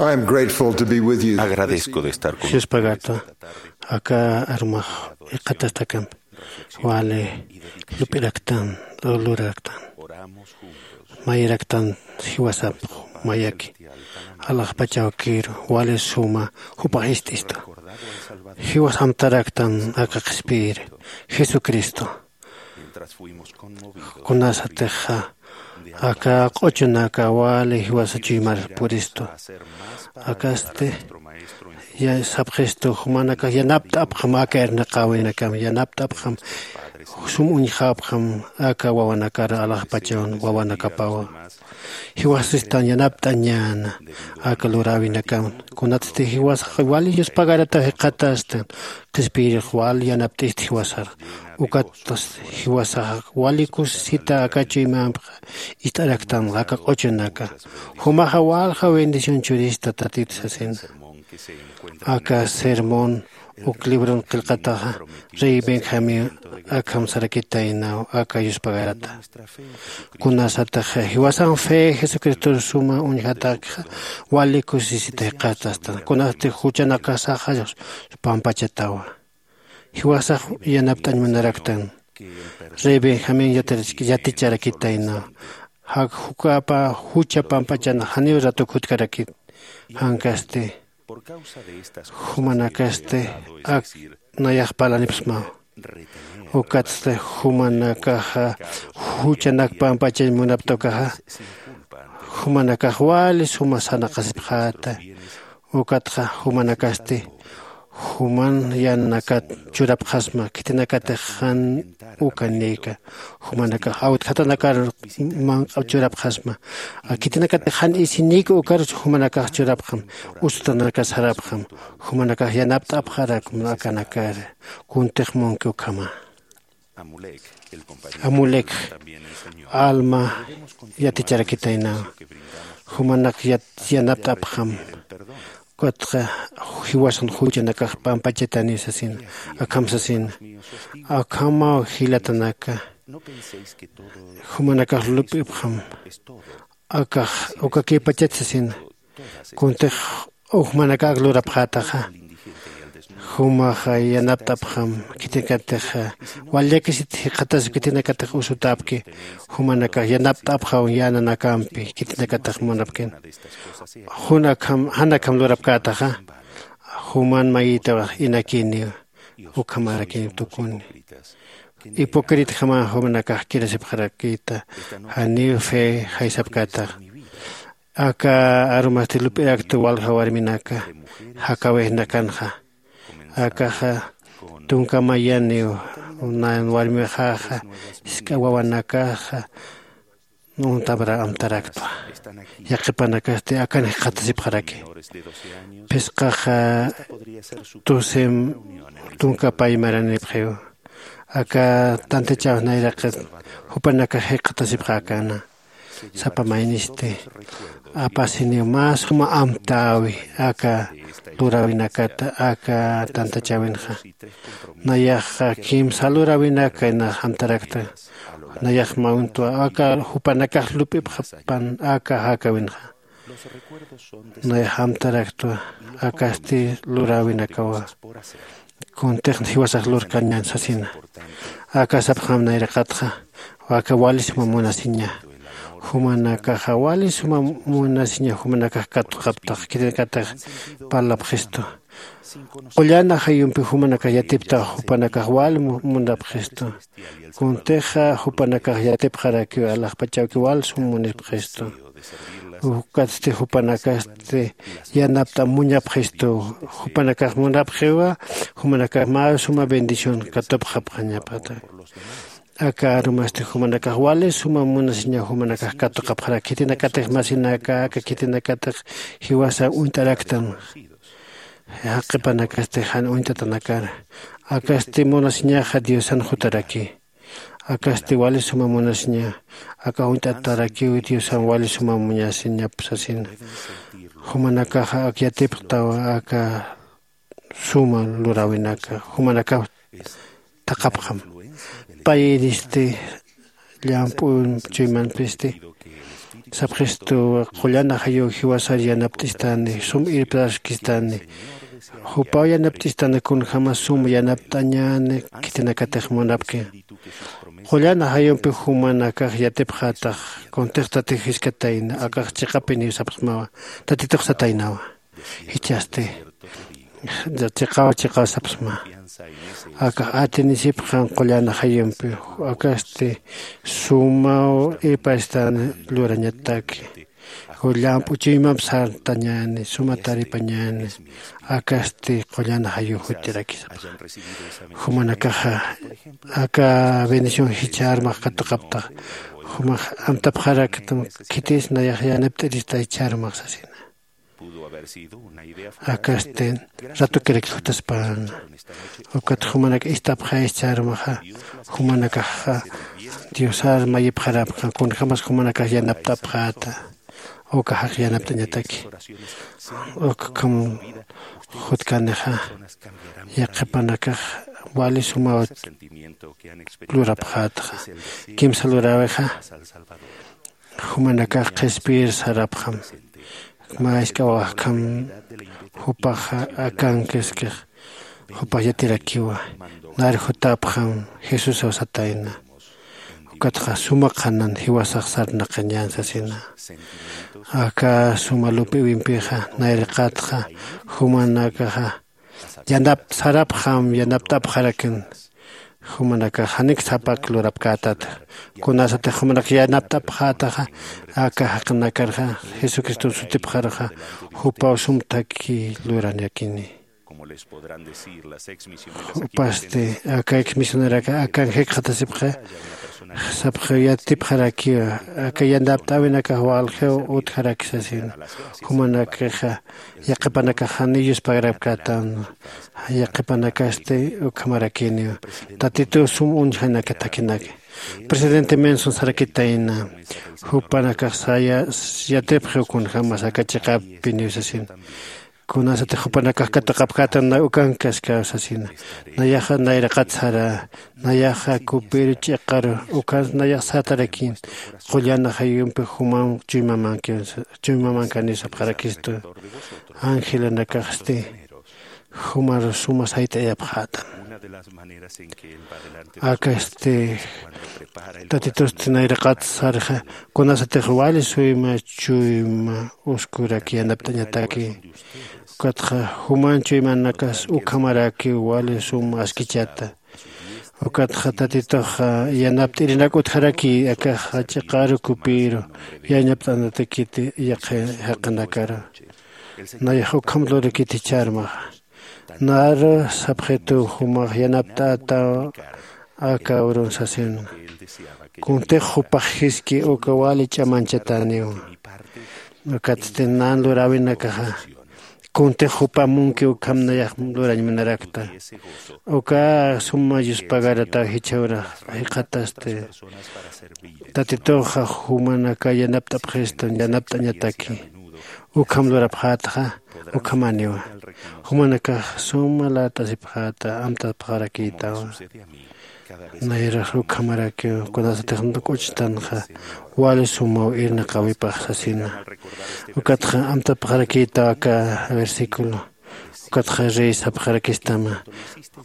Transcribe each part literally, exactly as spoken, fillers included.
I am grateful to be with you. Agradezco de estar con ustedes esta tarde. Aka armax iqatastakampi wali lup'iraktan, luraraktan, mayiraktan jiwasapx mayaki alaxpachawkiru wali suma jupax ist'istu. Jiwas amtaraktan aka qhispiyiri Jesucristo. Kunasatixa aka q'uchunaka wali jiwasa chuymar puristu. Akasti ya sapxistu jumanakax yanapt'apxam aka irnaqäwinakam, yanapt'apxam sum uñjapxam aka wawanakar alaxpachawn wawanakapawa. Jiwasistan yanapt'añäna aka luräwinakam. Kunatsti jiwasax wali yuspagarata jikxatastan qhispiyirix wal yanapt'ist jiwasar. Ukat jiwasax wali kusisita aka chuymampxa ist'araktan aka q'uchunaka. Jumaxa walja bendición churista tatit sasina. Aka sermón uk libron qillqataxa rey Benjamín akham sarakitaynaw aka yuspagarata. Kunasataxa jiwasan fe Jesucristor suma uñjatakxa wali kusisita jikxatastan. Kunasti juchanakasaxa pampachatawa. Jiwasax yanapt'añ munaraktan. Rey Benjamín yatarach-, yaticharakitaynaw. Jak jukapa jucha pampachana janiw ratuk jutkarakit. Jankasti jumanakasti ak nayax parlanipxsmaw. Ukatsti jumanakaxa juchanak pampachañ munapta ukaxa, jumanakax wali suma sarnaqasipxäta. Ukatxa jumanakasti juman yänanakat churapxasma, khitinakatix jan ukanïka. Jumanakax awtjatanakar manq'a churapxasma. Khitinakatix jan isinïka ukar jumanakax churapxam, usutanakar sarapxam. Jumanakax yanapt'apxarakma akanakar. Kuntix munki ukhama. Amulek alma yaticharakitaynawa. Jumanak yat-, yanapt'apxam. Ukatxa jiwasan juchanakax pampachataniw sasina, akham sasina. Akhamaw jilatanaka. Jumanakax lup'ipxam. Akax ukakïpachat sasina. Kuntix jumanakax lurapxätaxa. Jumaxa yanapt'apxam, khitinakatix wal llakisit jikxatasipki, khitinakatix usutäpki, jumanakax yanapt'apxam yänanakampi, khitinakatix munapkin. Jun akham, jan akham lurapkätaxa, juman mayïtaw inakïniw, ukhamarakïniw tukuni. Hipocritjama jumanakax kirasipxarakïta, janiw fe jaysapkätaxa. Aka arumasti lup'irakta walja warminaka, jakawixnakanxa. Akaxa tunka mayaniw, nan warmixaxa, jisk'a wawanakaxa, untamra amtaraktwa. Yaqhipanakasti akan jikxatasipxaraki. Phisqaxa tusem tunka pay maranipxiw. Aka tantachaw nayraqit jupanakax jikxatasipxäkäna. Sapa maynisti apasiniw mä suma amtäwi aka luräwinakata, aka tantachäwinxa. Nayaxa kimsa luräwinaka nax amtarakta. Nayax mä untwa aka jupanakax lup'ipxapan aka jakawinxa. Nayax amtaraktwa akasti luräwinakawa. Kuntix jiwasax lurkañän sasina. Aka sapxam nayraqatxa, aka wali suma munasiña. Jumanakaxa wali suma munasiña, jumanakax katuqaptax, khitinakatix parlapxistu. Qullan ajayumpi jumanakax yatiptax, jupanakax wali mu-, munapxistu. Kuntixa jupanakax yatipxarakiw, alaxpachawki wal sum munipxistu. Ukatsti jupanakasti yanapt'am muñapxistu. Jupanakax munapxiwa, jumanakax mä suma bendición katupxapxañapata. Aka arumasti jumanakax wali suma munasiña, jumanakax katuqapxarak, khitinakatix masinaka, aka khitinakatix jiwasa uñt'araktan. Jaqhipanakasti jan uñt'atanakar. Akasti munasiñaxa Diosan jutaraki. Akasti wali suma munasiña, aka uñt'atarakiw Diosan wali suma munasiñap sasina. Jumanakaxa ak yatipxtawa aka suma luräwinaka, jumanakaw thaqhapxam. Payiristi llamp'u chuymanpisti Sapxistu, qullan ajayuw jiwasar yanapt'istani, sum irptaskistani. Jupaw yanapt'istani kunjämas sum yanapt'añäni khitinakatix munapki. Qullan ajayumpi jumanakax yatipxätax, kuntix tatix jiskatayna, akax chiqapiniw sapxsmawa, tatitux sataynawa. Jichhasti chiqaw chiqaw sapxsma. Akax atinisipxan qullan ajayumpi, akasti sumaw irpastan lurañataki. Llamp'u chuymamp sartañäni, suma taripañäni, akasti qullan ajayuw jutirakisapxa. Jumanakaxa aka bendición jichha armax katuqaptax, jumax amtapxaraktam, khitis nayax yanapt'irista jichha armax sasina. Akasti ratukirak jutaspäna. Ukat jumanak ist'apxäyis ch'armaxa, jumanakaxa Diosar mayipxarapxan, kunjämas jumanakax yanapt'apxäta, uka jaq yanapt'añataki. Ukham jutkanixa, yaqhipanakax wali sumaw lurapxätxa. Kimsa luräwixa, jumanakax qhispiyir sarapxam. Mä jisk'awaxkham jupaxa akankiskix, jupax yatirakiwa. Nar jutapxam Jesusaw satayna. Ukatxa suma qhanan jiwasax sarnaqañän sasina. Aka suma lup'iwimpixa, nayraqatxa jumanakaxa yanapt'sarapxam, yanapt'apxarakin. Jumanakax janik sapak lurapkätata. Kunasatix jumanak yanapt'apxätaxa, aka jaqinakarxa Jesucriston sutipxaruxa, jupaw sum thakhi lurañakini. Jupasti aka ex misioneraxa akan jikxatasipxi, sapxi yatipxarakiwa, aka yanapt'äwinakax waljiw utjaraki sasina. Jumanakaxa yaqhipanakax janiw yuspagarapkätan, yaqhipanakasti ukhamarakiniw. Tatituw sum uñjanaka thakhinaki. Presidente Monson sarakitayna, jupanakax saya yatipxiw kunjämas aka chiqapiniw sasina. Kunasatix jupanakax katuqapkätan, na ukankaskaw sasina. Nayaxa nayraqat sara, nayaxa kupiru ch'iqaru, ukhans nayax sartarakin, qullan ajayumpi jumam chuymamanki, chuymamankanï sapxarakistu. Angelanakaxsti jumar suma sayt'ayapxätam. Akasti Tatitusti nayraqat sarxa, kunasatix wali suyma chuyma uskurak yanapt'añataki. Ukatxa juman chuymanakas ukhamarakiw wali suma askichata. Ukatxa Tatituxa yanapt'irinak utjaraki, akaxa ch'iqaru kupiru yanapt'anatakiti yaqhi jaqinakaru. Nayax ukham lurikiti ch'armaxa. Naru sapxitu jumax yanapt'ätaw aka urun sasina. Kuntix jupax jiski uka wali ch'amanchatäniwa. Ukatsti nan luräwinakaxa, kuntix jupa munki ukham nayax lurañ munarakta. Uka suma yuspagarataw jichha urax jikxatasti. Tatituxa jumanaka yanapt'apxistan, yanapt'añataki. Ukham lurapxätxa, ukhamaniwa. Jumanakax suma lat'asipxäta, amtapxarakïtawa. Nayrax ukhamarakiw, kunasatix k'uchtanxa, wali sumaw irnaqäwipax sasina. Ukatxa amtapxarakïtaw aka versículo. Ukatxa rey sapxarakistama.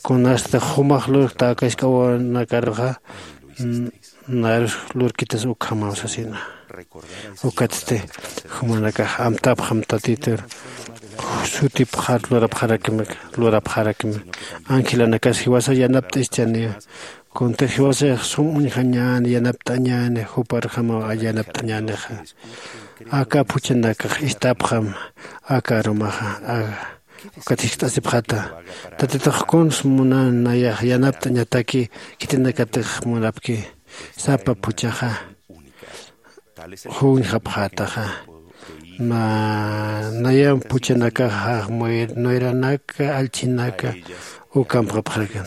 Kunasatix jumax lurkta aka jisk'awanakaruxa, n-, narus lurkitas ukhamaw sasina. Ukatsti jumanakax amtapxam Tatitur sutipxar lurapxarakimi, lurapxarakimi. Angelanakas jiwasa yanapt'ischaniwa. Kuntix jiwasax sum uñjañäni, yanapt'añäni, juparjamaw yanapt'añänixa. Aka phuchhanakax ist'apxam aka arumaxa, a-, ukat jiskt'asipxäta. Tatitux kuns munan nayax yanapt'añataki, khitinakatix munapki. Sapa phuchhaxa juñjapxätaxa. Na, nayam phuchhanakaxa, muy-, nuyranaka, allchhinaka, ukampxapxarakan.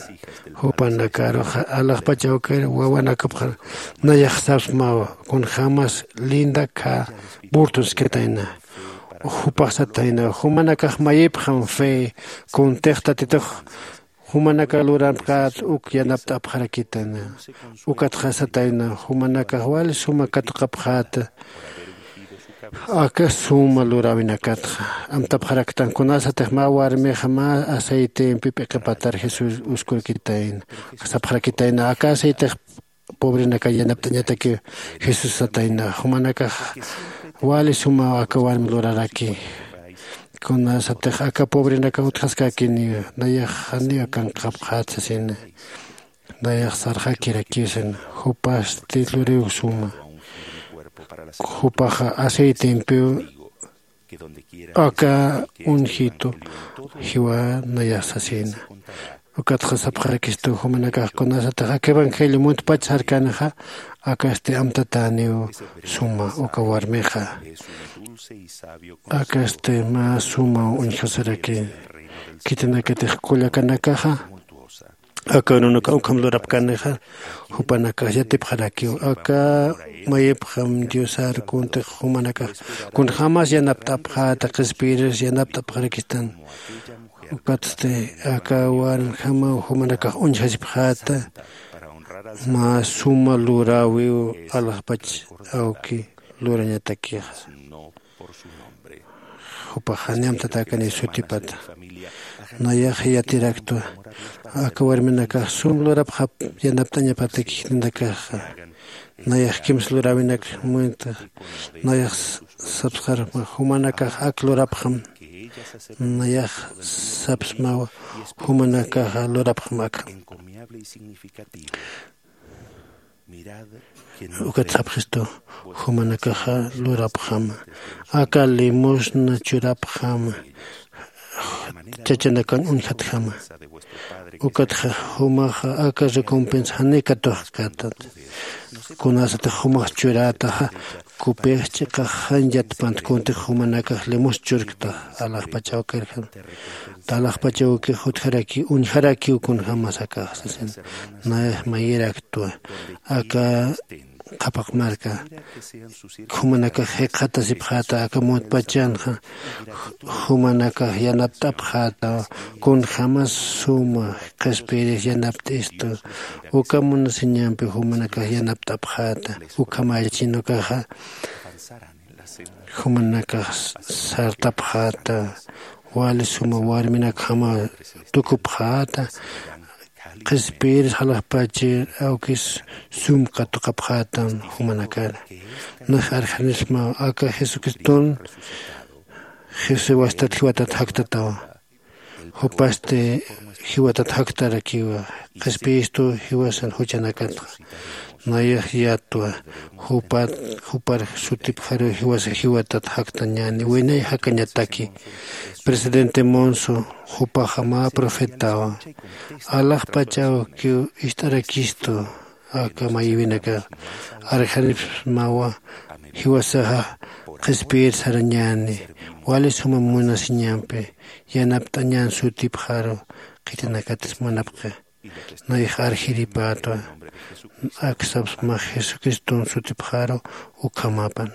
Jupanakaruxa, alaxpachawkir, wawanakapxar, nayax sapsmawa, kunjämas linda kha, burtonskatayna. Jupax satayna, jumanakax mayipxam fe, kuntix Tatitux, jumanaka luramkät uk yanapt'apxarakitana. Ukatxa satayna, jumanakax wali suma katuqapxäta. Aka suma luräwinakatxa amtapxaraktan kunasatix mä warmixa mä aceitempi p'iqipatar jesús uskurkitayna sapxarakitayna aka aceitix pobrenaka yanapt'añataki. Jesús satayna jumanakax wali sumaw aka warmi luraraki. Kunasatix aka pobrenaka utjaskakiniw nayax janiw kanqapxät sasina. Nayax sarxakirakiw sina jupasti luriw suma jupaxa aceitempiw aka unjitu jiwa nayax sasina. Ukatxa sapxarakistu jumanakax kunasatix aka evangelio muntpach sarkanixa akasti amtatäniw suma uka warmixa. Akasti mä sumaw uñjasaraki khitinakatix kullakanakaxa aka urunak ukham lurapkanixa jupanakax yatipxarakiw aka mayipxam diosar kuntix jumanakax kunjämas yanapt'apxäta qhispiyiris yanapt'apxarakistan. Ukatsti aka warmjamaw jumanakax uñjasipxäta mä suma luräwiw alaxpach awki lurañatakixa. Jupax jani amtatäkaniw sutipata nayax yatiraktwa aka warminakax sum lurapxap yanapt'añapataki jitinakaxa. Nayax kimsa luräwinak muynta nayax sapsxarma jumanakax ak lurapxam nayax sapsmawa jumanakaxa lurapxam akham. Ukat sapxistu jumanakaxa lurapxama aka limosna churapxama chachanakan uñjatjama. Ukatxa jumaxa aka recompensa jani katuxkatat kunasatix jumax churätaxa kupix ch'iqax jan yatpant kuntix jumanakax limosna churkta alaxpach awkirjam. Talaxpach awkix utjarakiw uñjarakiw kunjämas akax sasin. Nayax mayiraktwa aka qhapaq marka jumanakax jikxatasipxäta aka muntpachanxa jumanakax yanapt'apxäta kunjämas suma qhispiyiris yanapt'istu uka munasiñampi jumanakax yanapt'apxäta. Ukhamällachin ukaxa jumanakax sartapxäta wali suma warminakjama tukupxäta qhispiyiris alaxpachir awkis sum katuqapxätan jumanakar. Nax arjanismaw aka jesucriston jesucristo wastat jiwatat jaktatawa jupasti jiwatat jaktarakiwa qhispiyistu jiwasan juchanakatxa. Nayax yatwa jupat jupar sutipxaru jiwasa jiwatat jaktañäni winay jakañataki. Presidente monso jupaxa mä profetawa alaxpach awkiw ist'arakistu aka mayïwinakax arjanipsmawa jiwasaxa qhispiyir sarañäni wali suma munasiñampi yanapt'añän sutipxaru khitinakatis munapxi. Nayax arjiripätwa aksapsmax jesucriston sutipxaru ukhamapan.